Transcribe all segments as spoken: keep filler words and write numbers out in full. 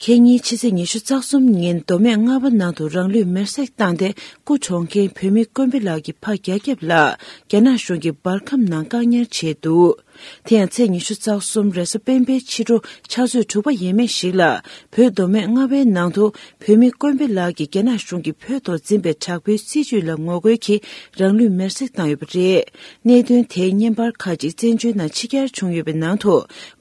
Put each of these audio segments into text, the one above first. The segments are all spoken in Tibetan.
ཁེ་ཉིན་ཕྱི་ཚེས་ཉི་ཤུ་རྩ་གསུམ་ཉིན་མདོ་སྨད་རྔ་བ་ནང་དུ་རང་ལུས་མེར་སྲེག་བཏང་སྟེ་སྐུ་གྲོངས་མཁན་བོད་མི་ཀོན་པི་ལགས་ཀྱི་ཕ་རྒྱ་སྐྱབས་ལགས་རྒྱ་ནག་གཞུང་གིས་འབར་ཁམས་ནང་བཀག་ཉར་བྱས་འདུག་དེ་ཡང་ཚེས་ཉི་ཤུ་རྩ་གསུམ་རེས་གཟའ་སྤེན་པའི་ཕྱི་དྲོ་ཕྱག་ཚོད་དྲུག་པ་ཡས་མས་ཤིག་ལ་བོད་མདོ་སྨད་རྔ་བའི་ནང་དུ་བོད་མི་ཀོན་པི་ལགས་ཀྱིས་རྒྱ་ནག་གཞུང་གིས་བོད་ཐོག་འཛིན་པའི་དྲག་པོའི་སྲིད་བྱུས་ལ་ངོ་རྒོལ་གྱིས་རང་ལུས་མེར་སྲེག་བཏང་ཡོད་པ་རེད། གནད་དོན་དེའི་བརྙན་པར་ཁག་ཅིག་བཙན་བྱོལ་ནང་ཕྱི་གྱར་བྱུང་ཡོད་པའི་ནང་དུ།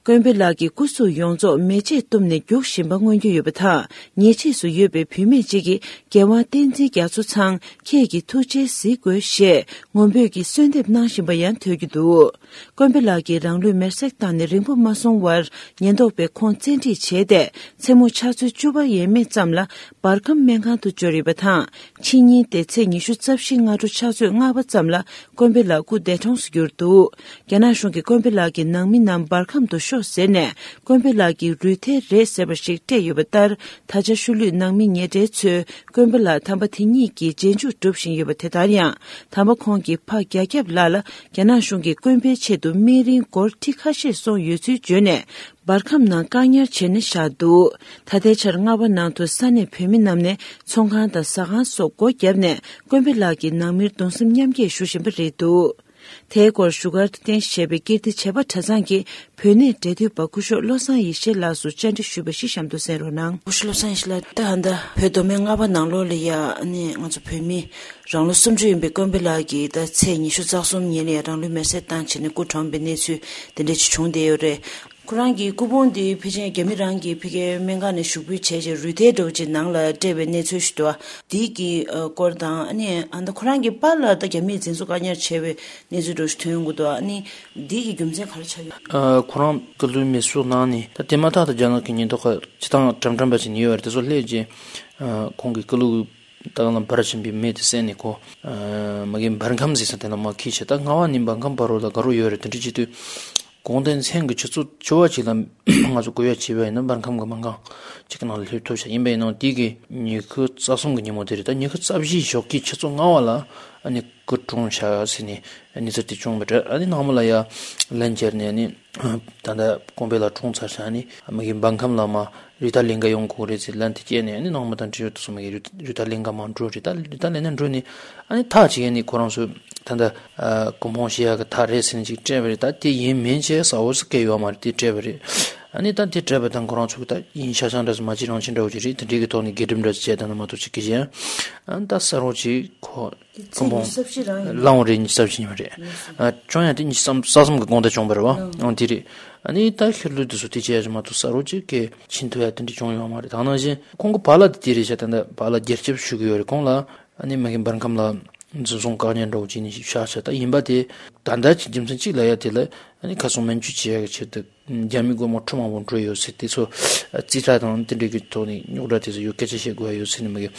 ཀོན་པི་ལགས་ཀྱི་སྐུ་གཟུགས་ཡོངས་རྫོགས་མེ་ལྕེས་གཏུབས་ནས་རྒྱུགས་བཞིན་པ་མངོན་གྱི་ཡོད་པ་དང་། ཉེ་འཁྲིས་སུ་ཡོད་པའི་བུད་མེད་ཅིག་གིས་རྒྱལ་དབང་བསྟན་འཛིན་རྒྱ་མཚོ་ཚང་ཁྱེད་ཀྱི་ཐུགས་རྗེས་གཟིགས་དགོས་ཞེས་ངུ་འབོད་ཀྱིས་གསོལ་འདེབས་གནང་བཞིན་པ་ཡང་ཐོས་རྒྱུ་འདུག་ཀོན་པི་ལགས་ཀྱིས་རང་ལུས་མེར་སྲེག་བཏང་ནས་རིང་པོ་མ་སོང་བར་ཉེན་རྟོག་པས་ཁོང་བཙན་ཁྲིད་བྱས་ཏེ་མཚན་མོ་ཕྱག་ཚོད་བཅུ་པ་ཡས་མས་ཙམ་ལ་འབར་ཁམས་སྨན་ཁང་དུ་འབྱོར་ཡོད་པ་དང་། ཕྱི་ཉིན་ཏེ་ཚེས་ཉི་ཤུ་རྩ་བཞི་སྔ་དྲོ་ཕྱག་ཚོད་ལྔ་པ་ཙམ་ལ་ཀོན་པི་ལགས་སྐུ་འདས་གྲོངས་སུ་གྱུར་འདུག་རྒྱ་ནག་གཞུང་གིས་ཀོན་པི་ལགས་ཀྱི་ནང་མི་རྣམས་འབར་ཁམས་དུ་ཤོག་ཟེར་ནས་ཀོན་པི་ལགས་ཀྱི་རུས་ཐལ་རེད་ཟེར་བ་ཞིག་སྤྲད་ཡོད་པ་ལྟར། ད་ཆ་ཤུལ་ལུས་ནང་མི་ཉེ་འབྲེལ་ཚོས་ཀོན་པི་ལགས་དམ་པ་དེ་ཉིད་ཀྱི་རྗེས་འཇུག་སྒྲུབ་བཞིན་ཡོད་པ་དེ་ལྟར་ཡང་། དམ་པ་ཁོང་གི་ཕ་རྒྱ་སྐྱབས་ལགས་ལ་རྒྱ་ནག་གཞུང་གིས་ཀོན་པིའི་ཆེད་དུ་སྨན་རིན་སྒོར་ཁྲི་ཁ་ཤས་སོང་ཡོད་ཚུལ་བརྗོད་ནས། འབར་ཁམས་ནང་བཀག་ཉར་བྱས་ནས་བཞག་འདུག་ད་ལྟའི་ཆར་རྔ་བ་ནང་དུ་ས་གནས་བོད་མི་རྣམས་ནས་ཚོང་ཁང་དང་ཟ་ཁང་སོགས་སྒོ་བརྒྱབ་ནས་ཀོན་པི་ལགས་ཀྱི་ནང་མིར་གདུང་སེམས་མཉམ་སྐྱེད་ཞུ་བཞིན་པ་རེད་འདུག་དེའི་སྐོར་བཞུགས་སྒར་དུ་རྟེན་གཞི་བྱས་པའི་ཀིརྟི་བྱེས་པ་གྲྭ་ཚང་གི་བོད་གནས་འབྲེལ་མཐུད་པ་སྐུ་ཞབས་བློ་བཟང་ཡེ་ཤེས་ལགས་སུ་བཅར་འདྲི་ཞུས་པ་ཞིག་གཤམ་དུ་གསན་རོགས་གནང་། སྐུ་ཞབས་བློ་བཟང་ཡེ་ཤེས་ལགས། ད་ད་ལྟ་བོད་མདོ་སྨད་རྔ་བ་ནང་ལོགས་ལ་ཡ་ཨ་ནི་ང་ཚོ་བོད་མི་རང་ལོ་སུམ་ཅུ་ཡིན་པའི་ཀོན་པི་ལགས་ཀྱིས་ད་ཚེས་ཉི་ཤུ་རྩ་གསུམ་ཉིན་ལ་ཡ་རང་ལུས་མེར་སྲེག་བཏང་བྱས་ནས་སྐུ་གྲོངས་པའི་གནས་ཚུལ་དེ་འདྲ་ཅིག་བྱུང་བསྡད་ཡོད་རེད། ཁོ་རང་གི་སྐུ་ཕུང་དེ་ཕལ་ཆེར་རྒྱ་མི་རང་གིས་ཕ་གིའི་སྨན་ཁང་ནས་ཞུགས་འབུལ་བྱས་རྗེས་རུས་ཐལ་འདྲ་བོ་ཅིག་ནང་ལ་སྤྲད་པའི་གནས་ཚུལ་ཞིག་འདུག་ཨ། དེ་གི་སྐོར་དང་ཨ་ནི་ཨ་ད་ཁོ་རང་གི་པཱ་ལགས་ད་རྒྱ་མིས་འཛིན་བཟུང་བཀག་ཉར་བྱས་པའི་གནས་ཚུལ་འདྲ་བོ་ཞིག་ཐོན་ཡོང་གི་འདུག་ཨ་ནི་དེ་གི་རྒྱུ་མཚན་ག་རེ་ཆགས་ཡོད། ཨ། ཁོ་རང་སྐུ་ལུས་མེ་གསོད་གནང་ནས་ད་དེ་མ་ཐག་ཏུ་རྒྱ་ནག་གི་ཉེན་རྟོག་པ་སྤྱི་བཏང་དྲང་བདེན་པ་ཅིག་ནི་ཡོད་རེད། དེ་ཚོ་སླེབས་རྗེས་ཨ་ཁོང་གི་སྐུ་ལུས་ད་ག་ལ་འབར་བཞིན་པའི་མེ་དེ་བསད་ནས་ཁོ་ཨ་མ་གི་འབར་ཁམས་ཟེར་ས་དེ་ལ་མར་འཁྱེར་བྱས། ད་རྔ་བ་ནས་འབར་ཁམས་བར་རོ་ལ་དགའ་རོགས་ཡོད་རེད། དེ་འདྲ་བྱེད་དུས་གོང་དེ་མཚན་གྱི་ཆུ་ཚོད་བཅུ་པ་ཅིག་ལ་ང་ཚོ་སྐུ་གཡོག་བྱས་པ་ཡིན་ན་འབར་ཁམས་ཀྱི་སྨན་ཁང་ཅིག་གི་ནང་ལ་སླེབས་ཐུབ་ཤག་ཡིན་པ་ཡིན་ནའང་དེ་གི་ཉི་ཤུ་རྩ་གསུམ་གྱི་ཉིན་མོ་དེ་རེད། ད་ཉི་ཤུ་རྩ་བཞི་ཞོགས་ཀྱི་ཆུ་ཚོད་ལྔ་པ་ལ་ཨ་ནི་སྐུ་གྲོངས་ཤག་ཟེར་ནས་གནས་ཚུལ་དེ་བྱུང་བ་རེད། ཨ་ནི་ནངས་མོ་ལ་ཡ་ལན་བརྒྱབ་ནས་ཨ་ནི་ད་ལྟ་ཀོན་པི་ལགས་གྲོངས་ཚར་ཤག་ཨ་ནི་མ་གི་འབར་ཁམས་ལ་མར་རི་ཐ་ལིང་ག་ཡོང་དགོས་རེད་ཟེར་ལན་དེ་བསྐྱལ་ནས་ཨ་ནི་ནངས་མོ་དང་འབྲེལ་ཡོད་དུ་སོང་མ་གི་རི་ཐ་ལིང་ག་མར་འགྲོ་རེད། ད་རི་ཐ་ལིང་ག་འགྲོ་ནས་ཨ་ནི་ཐག་ཅིག་ཨ་ནི་ཁོ་རང་ཚོས་ད་ལྟ་སྐུ་ཕུང་བཞེས་ཡག་གི་ཐག་རེད་ཟེར་ནས་ཅིག་སྤྲད་པ་རེད། ད་དེ་ཡིན་མིན་བྱས་གསལ་པོ་ཟེར་སྐད་ཡོད་མ་རེད། དེ་སྤྲད་པ་རེད། ཨ་ནི་ད་དེ་སྤྲད་པ་དང་ཁོ་རང་ཚོས་ད་ཡིན་ཤག་ཤག་འདྲ་ཟེར་མ་བྱེད་རང་བྱེད་འདྲ་བོ་ཅིག་རེད། དེ་འདྲའི་གི་ཐོག་ནས་དགེ་སྒྲུབ་འདྲ་ཟེར་བྱས་ད་ནི་མ་གཏོགས་ཅིག་གི་གཞན་ཨ་ནི་ད་གསལ་པོ་ཅིག་ཁོ་དེ་ཚེས་ཉི་ཤུ་རྩ་བཞི་རང་ཡིན། ལའང་རེད། ཉི་ཤུ་རྩ་བཞི་ཉིན་མ་རེད། ཨ་བྱུང་ཡང་དེ་ཉི་ཤུ་རྩ་གསུམ་གི་དགོང་དག་བྱུང་བ་རེད་བ། ཨང་དེ་རེད། ཨ་ནི་ད་ཤུལ་ལུས་དེ་ཚོ་དེ་བྱས་ཡ་ཅིག་མ་གཏོགས་གསལ་པོ་ཅིག་གི་ཕྱིན་ཐུབ་ཡ་དེ་འདྲ་བྱུང་ཡོད་མ་རེད། ད་ནང་བཞིན་ཁོང་གི་པཱ་ལགས་དེ་དེ་རེད་ཤག་ད་ལྟ་པཱ་ལགས་རྒྱལ་ཁྱབ་ཞུ་གི་ཡོད་རེད། ཁོང་ལ་ཨ་ནི་མ་གི་འབར་ཁམས་ལ་འཛིན་བཟུང་བཀག་ཉར་འདྲ་བོ་བྱས་ནས་བཞག་ཤག་ད་ཡིན་པ་དེ་ད་ལྟ་ཅིག་རྒྱུ་མཚན་གཅིག་ལ་ཡ་དེ་ལ་ཨ་ནི་ཁ་སང་སྨན་བཅོས་བྱེད་ཡ་གི་ཆེད་དུ་རྒྱ་མི་སྒོར་མོ་ཁྲི་མང་པོ་འགྲོ་ཡོད་ཟེར། དེ་ཚོ་རྩིས་ཁྲ་དང་དེ་འདྲ་གི་ཐོག་ནས་རྙོག་དྲ་དེ་ཚོ་ཡོད་སྐད་ཆ་བཤད་དགོས་ཡ་ཡོད་ཟེར་ནས་མ་གི་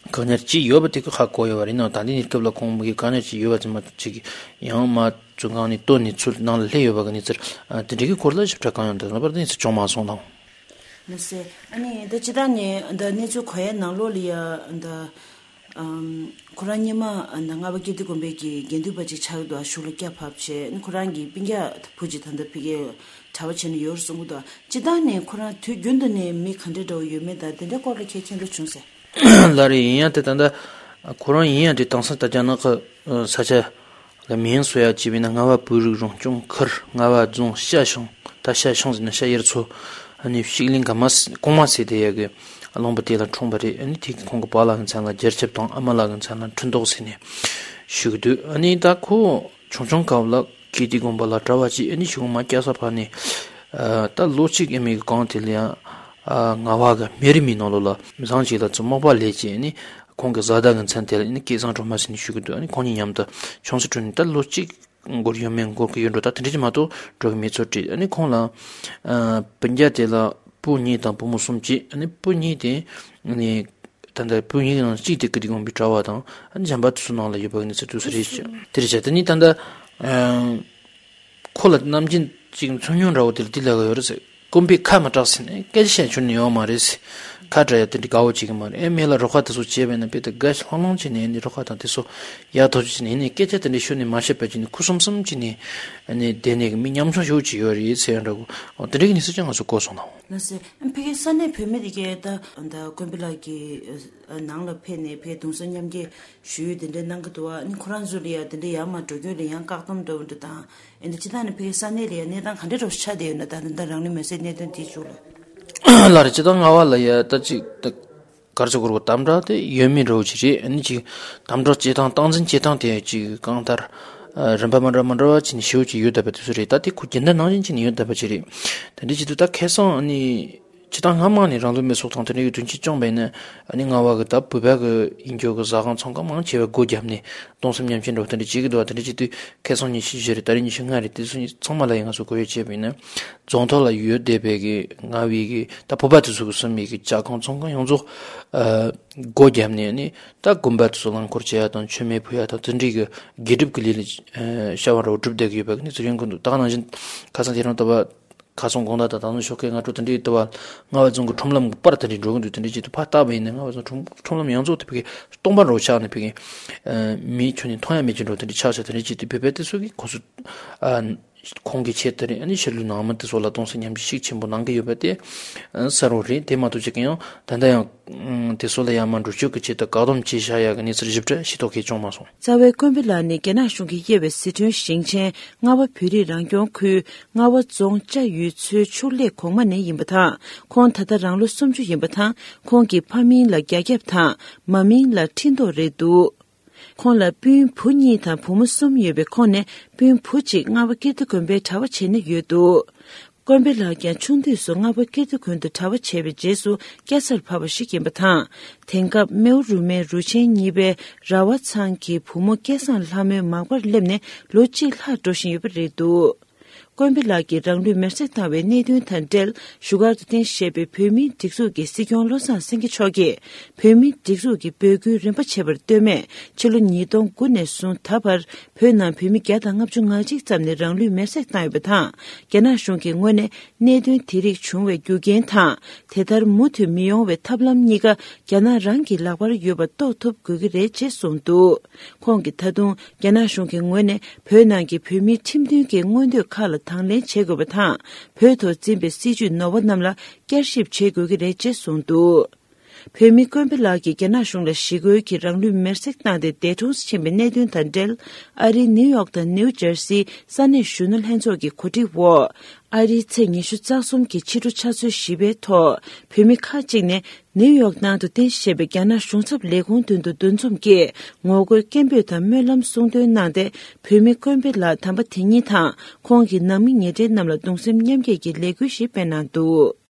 བཀག་ཉར་བྱས་ཡོད་པ་དེ་གི་ཧ་གོ་ཡོད་པ་རེད། ནའང་ད་ལྟའི་གནས་སྐབས་ལ་ཁོང་མ་གི་བཀག་ཉར་བྱས་ཡོད་པ་ཚང་མ་ཅིག་ཡང་མ་བཙོན་ཁང་ནས་གཏོར་ནས་ཚུར་ནང་ལ་སླེབས་ཡོད་པ་གི་གནས་ཚུལ་དེ་འདྲ་གི་སྐོར་ལ་ཞིབ་ཕྲ་གང་ཡང་དེ་ལ་བར་དུ་གནས་ཚུལ་བྱུང་མ་སོང་ལགས། མ་ཟད་ཨ་ནི་ད་སྤྱིར་བཏང་ནས་ད་གནས་ཚུལ་གོ་ཡའི་ནང་ལོགས་ལ་ཡ་ད་ཨམ་ཁོ་རང་སྔོན་མ་ད་རྔ་བ་ཀིརྟི་དགོན་པའི་གི་དགེ་འདུན་པ་ཅིག་ཆགས་འདུག་ཨ། གཞུང་ལ་སྐྱ་བབས་བྱས་ཨ་ནི་ཁོ་རང་གི་སྤུན་ཀྱག་བུ་ཅིག་ད་ལྟ་ཕ་གིར་གྲྭ་པ་བྱས་ནས་ཡོད་རེད་གསུང་གི་འདུག་ཨ། སྤྱིར་བཏང་ནས་ཁོ་རང་དུས་རྒྱུན་དུ་ནས་མི་ག་འདྲ་འདྲ་བོ་ཡོད་མེད་དང་དེ་འདྲའི་སྐོར་ལ་ཁྱེད་མཁྱེན་རྟོགས་བྱུང་ཟེར། ལགས་རེད། ཡིན་ཡང་དེ་ད་ལྟ་ཁོ་རང་ཡིན་ཡང་དེ་དེང་སང་ད་རྒྱ་ནག་གི་ས་ཆ་ལ་མིང་བཟོ་ཡ་བྱས་པ་ཡིན་ན་རྔ་བ་བོད་རིགས་རང་སྐྱོང་ཁུལ་རྔ་བ་རྫོང་ཤ་ཤང་། ད་ཤ་ཤང་ཟེར་ན་ཤ་ཡར་ཚོ་ཨ་ནི་ཤིག་གླིང་ག་མ་གོང་མ་ཟེར་དེ་ཡ་གི་གླང་པོ་དེ་ལ་འཁྲུངས་པ་རེད། ཨ་ནི་དེ་གི་ཁོང་གི་པཱ་ལགས་ཀྱི་མཚན་ལ་རྒྱལ་ཁྱབ་དང་ཨ་མ་ལགས་ཀྱི་མཚན་ལ་འཕྲིན་ཐོགས་ཟེར་ནས་ཞུ་གི་འདུག་ཨ་ནི་ད་ཁོ་ཆུང་ཆུང་སྐབས་ལ་ཀིརྟི་དགོན་པ་ལ་གྲྭ་པ་བྱས། ཨ་ནི་གཞུང་མ་སྐྱ་ས་ཕར་ནས་ཨ་ད་ལོ་གཅིག་ཨ་མའི་གི་གང་དེ་ལ་ཡང་ཨ་རྔ་བ་གི་སྨན་རིན་མའི་ནང་ལོགས་ལ་མི་ཚང་ཅིག་ལ་ཚུར་མག་པ་ལས་བྱས། ཨ་ནི་ཁོང་གི་བཟའ་ཟླ་གི་མཚན་དེ་ལ་ཨ་ནི་སྐལ་བཟང་སྒྲོལ་མ་ཟེར་ནས་ཞུ་གི་འདུག་ཨ་ནི་ཁོང་གཉིས་མཉམ་དུ་ཆུང་ས་ཁྲོད་ནས་ད་ལོ་གཅིག་འགོར་ཡོད་མེད་འགོར་གི་ཡོད་འགྲོ། ད་དེ་འདྲ་ཅིག་མ་གཏོགས་འགྲོ་གི་མེད་ཚོད་རེད། ཨ་ནི་ཁོང་ལ་ཨ་སྤུན་ཀྱག་དེ་ལ་བུ་གཉིས་དང་བུ་མོ་གསུམ་བྱས། ཨ་ནི་བུ་གཉིས་དེ་ཨ་ནི་ད་ལྟ་བུ་གཉིས་ཀྱི་ནང་གཅིག་དེ་ཀིརྟི་དགོན་པའི་གྲྭ་པ་དང་། ཨ་ནི་གཞན་པ་དེ་ཚོ་ནང་ལ་ཡོད་པ་གི་གནས་ཚུལ་དེ་ཚོ་རེད་ཤག་དེ་རེད་ཤག་དེ་ནི་ད་ལྟ་ཨ་ཁོ་ལ་ནམ་རྒྱུན་ཅིག་འཚོ་མྱོང་འདྲ་བོ་དེ་ལ་དེ་ལབ་ཀྱི་ཡོད་རེད་ཟེར། ཀོན་པི་ཁ་མ་གྲགས་ཟེར་ནས་སྐད་ཆ་བཤད་རྒྱུ་ནི་ཡོད་མ་རེད་ཟེར། ཁ་བྲལ་ཡ་དེ་འདྲའི་དགའ་བོ་བྱེད་ཀྱི་མ་རེད། ཨེ་མི་ལ་རོགས་པ་དེ་ཚོ་བྱས་པས་ན་དཔེ་དེ་དགའ་ལྷང་ལྷང་བྱས་ནས་ཨ་ནི་རོགས་པ་དང་དེ་ཚོ་ཡག་ཐག་ཆོད་བྱས་ནས་ཨ་ནི་སྐད་ཆ་དེ་འདྲའི་ཤོད་ནས་མ་བཤད་པ་བྱས་ནས་ཁུ་སིམ་སིམ་བྱས་ནས་ཨ་ནི་བསྡད་ནས་མི་ཉམ་ཆུང་ཞེ་པོ་ཅིག་ཡོད་རེད་ཟེར་ཡ་འདྲ་བོ། འོ་དེ་འདྲའི་གི་གནས་ཚུལ་ཅིག་ང་ཚོ་གོ་སོང་ན། ལགས་སེ། ཕ་གིའི་ས་གནས་བོད་མི་དེ་གས་ད་ད་དཀོན་པོ་ལགས་ཀྱི་ནང་ལ་ཕེབས་ནས་ཕ་གིའི་གདུང་སེམས་མཉམ་སྐྱེད་ཞུ་ཡུལ་དེ་འདྲའི་གནང་གི་འདུག་བ། ཨ་ནི་ཁོ་རང་ཚོ་ལ་ཡ་དེ་འདྲའི་ཡར་མར་འགྲོ་སྐྱོད་ལ་ཡང་བཀག་སྡོམ་འདྲ་བོ་འདྲ་དང་། ཨེ་འདི་སྤྱིར་བཏང་ནས་ཕ་གིའི་ས་གནས་ལ་ཡ་གནས་སྟངས་ག་འདྲ་འདྲ་བོ་ཆགས་བསྡད་ཡོད་ན། ད་ད་ལྟ་རང་ལུས་མེར་སྲེག་གནད་དོན་དེའི་ཕྱོགས་ལ། ལགས་རེད། སྤྱིར་བཏང་རྔ་བ་ལ་ཡ་ད་ཅིག་ད་གར་ཆ་གོར་གོ་དམ་དྲག་དེ་ཡོད་མེད་འདྲ་བོ་ཅིག་རེད། ཨ་ནི་ཅིག་དམ་དྲག་བྱེད་སྟངས་སྟངས་འཛིན་བྱེད་སྟངས་དེ་ཅིག་གང་ལྟར་ཨ་རིམ་པ་མ་འདྲ་མ་འདྲ་བ་ཅིག་ནས་ཞེ་པོ་ཅིག་ཡོད་བསྡད་པ་དེ་ཚོ་རེད། ད་དེ་ཁོ་རྒྱུན་ལྡན་ནང་བཞིན་བྱས་ནས་ཡོད་བསྡད་པ་ཅིག་རེད། དེ་འདྲ་བྱེད་དུས་ད་ཁ་སང་ཨ་ནི་སྤྱིར་བཏང་སྔ་མ་ནས་རང་ལུས་མེར་སྲེག་དང་དེ་འདྲ་ཡི་དོན་རྐྱེན་བྱུང་བས་ན། ཨ་ནི་རྔ་བ་གི་ད་བོད་པ་གི་ཡིན་རྒྱུ་གི་ཟ་ཁང་ཚོང་ཁང་མང་ཆེ་བས་སྒོ་བརྒྱབ་ནས་གདུང་སེམས་མཉམ་སྐྱེད་འདྲ་བོ་དེ་འདྲ་བྱེད་ཀྱི་འདུག་བ། དེ་འདྲ་བྱེད་དུས་ཁ་སང་ཉི་ཤུ་བཞི་རེད། ད་རེས་ཉི་ཤུ་ལྔ་རེད། དེ་ཚོ་ཚང་མ་ལ་ཡང་ང་ཚོ་གོ་ཡོད་བྱས་པ་ཡིན་ན། རྫོང་ཐོག་ལ་ཡོད་བསྡད་པའི་གི་རྔ་བའི་གི་ད་བོད་པ་དེ་ཚོ་གི་གསོ་མི་གི་ཇ་ཁང་ཚོང་ཁང་ཡོངས་རྫོགས་ཨ་སྒོ་བརྒྱབ་ནས་ནི་ད་དགོན་པ་དེ་ཚོ་རླངས་འཁོར་བྱེད་ཡ་དང་མཆོད་མེ་ཕུལ་ཡ་དང་དེ་འདྲའི་གི་དགེ་སྒྲུབ་ཀྱི་ལས་ལ་ཨ་བྱ་བ་འདྲ་བོ་སྒྲུབ་བསྡད་ཀྱི་ཡོད་པ་གི་གནས་ཚུལ་ཡོང་གི་འདུག་ད་ག་ནང་བཞིན་ཁ་སང་དེ་རིང་ད་བར་ཁ་སང་དགོང་དག་དང་ད་དུང་ཞོགས་ཀས་སྔ་དྲོ་དེ་འདྲའི་ལྟ་བ་རྔ་བ་རྫོང་གི་ཁྲོམ་ལམ་གྱི་པར་དེ་འདྲའི་འགྲོ་གི་འདུག་དེ་འདྲའི་ཆེད་དུ་ཕར་བལྟས་པ་ཡིན་ན་རྔ་བ་རྫོང་ཁྲོམ་ཁྲོམ་ལམ་ཡོངས་རྫོགས་དེ་ཕ་གི་སྟོང་པ་འདྲ་བོ་ཆགས་ནས་ཕ་གི་ཨ་མིའི་ཁྱོན་ནས་མཐོང་ཡ་མེད་ཀྱི་འདྲ་བོ་དེ་འདྲའི་ཆགས་ཆགས། དེ་འདྲའི་ཆེད་དུ་བོད་པ་དེ་ཚོ་གིས་ཁོ་ཚོ་ཨ་ཁོང་གི་ཆེད་དེ་རིང་ཨ་ནི་ཕྱི་ལུས་ནང་མི་དེ་ཚོ་ལ་གདུང་སེམས་མཉམ་སྐྱེད་ཤུགས་ཆེན་པོ་གནང་གི་ཡོད་པ་དེ་ཨ་གསལ་པོ་རེད། དེ་མ་གཏོགས་ཅིག་གི་ཡང་ད་ལྟ་ཡང་དེ་ཚོ་ལ་ཡར་མར་འགྲོ་སྐྱོད་ཀྱི་ཆེད་དུ་བཀག་སྡོམ་བྱས་བཞག་ཡ་གི་གནས་ཚུལ་ཞིབ་ཕྲ་ཤེས་རྟོགས་མཁན་བྱུང་མ་སོང་། རྩ་བའི་དཀོན་པོ་ལགས་ནི་རྒྱ་ནག་གཞུང་གིས་དབྱེ་བའི་ཟི་ཁྲོན་ཞིང་ཆེན་རྔ་བ་བོད་རིགས་རང་སྐྱོང་ཁུལ་རྔ་བ་རྫོང་ལྕགས་ཡུལ་ཚོའི་ཕྱུགས་ལས་གོང་མ་ནས་ཡིན་པ་དང་། ཁོང་ད་ལྟ་རང་ལོ་སུམ་ཅུ་ཡིན་པ་དང་། ཁོང་གི་ཕ་མིང་ལ་རྒྱ་སྐྱབས་དང་མ་མིང་ལ་ཁྲི་མདོག་རེད་འདུག་ཁོང་ལ་སྤུན་བུ་གཉིས་དང་བུ་མོ་གསུམ་ཡོད་པའི་ཁོངས་ནས་སྤུན་བུ་གཅིག་རྔ་བ་ཀིརྟི་དགོན་པའི་གྲྭ་པ་བྱས་ནས་ཡོད་འདུག་དཀོན་པོ་ལགས་ཀྱང་ཆུང་དུས་སུ་རྔ་བ་ཀིརྟི་དགོན་དུ་གྲྭ་པ་བྱས་པའི་རྗེས་སུ་སྐྱ་སར་བབས་པ་ཞིག་ཡིན་པ་དང་། དེང་སྐབས་རྨེའུ་རུ་མའི་རུ་ཆེན་གཉིས་པའི་ར་བ་ཚང་གི་བུ་མོ་སྐལ་བཟང་ལྷ་མོའི་མག་པར་སླེབས་ནས་ལོ་གཅིག་ལྷག་འགྲོ་བཞིན་ཡོད་པ་རེད་འདུག་དཀོན་པོ་ལགས་ཀྱིས་རང་ལུས་མེར་སྲེག་བཏང་བའི་གནད་དོན་དང་འབྲེལ་བཞུགས་སྒར་དུ་རྟེན་གཞི་བྱས་པའི་བོད་མིའི་སྒྲིག་འཛུགས་ཀྱི་སྲིད་སྐྱོང་བློ་བཟང་སེང་གེ་མཆོག་གིས། བོད་མིའི་སྒྲིག་འཛུགས་ཀྱི་འབོད་སྐུལ་རིམ་པ་བྱས་པར་ལྟོས་མེད། ཕྱི་ལོ་ཉིས་སྟོང་དགུ་ནས་བཟུང་ད་བར་བོད་ནང་བོད་མི་བརྒྱ་དང་ལྔ་བཅུ་ང་གཅིག་ཙམ་ནས་རང་ལུས་མེར་སྲེག་བཏང་ཡོད་པ་དང་། རྒྱ་ནག་གཞུང་གི་ངོས་ནས་གནད་དོན་དེ་རིགས་བྱུང་བའི་རྒྱུ་རྐྱེན་དང་། དེ་ལྟར་མུ་མཐུད་མི་ཡོང་བའི་ཐབས་ལམ་གཉིས་ཀ་རྒྱ་ནག་རང་གི་ལག་པར་ཡོད་པ་རྟོགས་ཐུབ་དགོས་ཀྱི་རེད་ཅེས་གསུངས་འདུག་ཁོང་གིས་ད་དུང་རྒྱ་ནག་གཞུང་གི་ངོས་ནས་བོད་ནང་གི་བོད་མིའི་ཁྲིམས་མཐུན་གྱི་མངོན་འདོད་ཁག་ལ་དང་ལེན་བྱེད་དགོས་པ་དང་། བོད་ཐོག་འཛིན་པའི་སྲིད་བྱུས་ནོར་བ་རྣམས་ལ་བསྐྱར་ཞིབ་བྱེད་དགོས་ཀྱི་རེད་ཅེས་གསུངས་འདུག་བོད་མི་དཀོན་པོ་ལགས་ཀྱིས་རྒྱ་ནག་གཞུང་ལ་ཞི་རྒོལ་གྱིས་རང་ལུས་མེར་སྲེག་བཏང་སྟེ་འདས་གྲོངས་སུ་ཕྱིན་པའི་གནད་དོན་དང་འབྲེལ། ཨ་རིའི་ནིའུ་ཡོག་དང་ནིའུ་ཇར་སིའི་ས་གནས་གཞོན་ནུ་ལྷན་ཚོགས་ཀྱི་གོ་སྒྲིག་འོག་ཨ་རིའི་ཚེས་ཉི་ཤུ་རྩ་གསུམ་གྱི་ཕྱི་དྲོ་ཆུ་ཚོད་བཞི་པའི་ཐོག་བོད་མི་ཁག་ཅིག་ནས་ནིའུ་ཡོག་ནང་དུ་རྟེན་གཞི་བྱས་པའི་རྒྱ་ནག་གཞུང་ཚབ་ལས་ཁུངས་མདུན་དུ་འདུ་འཛོམས་ཀྱིས་ངོ་རྒོལ་སྐད་འབོད་དང་སྨོན་ལམ་གསུང་འདོན་གནང་སྟེ། བོད་མི་དཀོན་པོ་ལགས་དམ་པ་དེ་ཉིད་དང་ཁོང་གི་ནང་མི་ཉེ་འབྲེལ་རྣམས་ལ་གདུང་སེམས་མཉམ་སྐྱེད་ཀྱི་ལས་འགུལ་ཞིག་སྤེལ་གནང་འདུག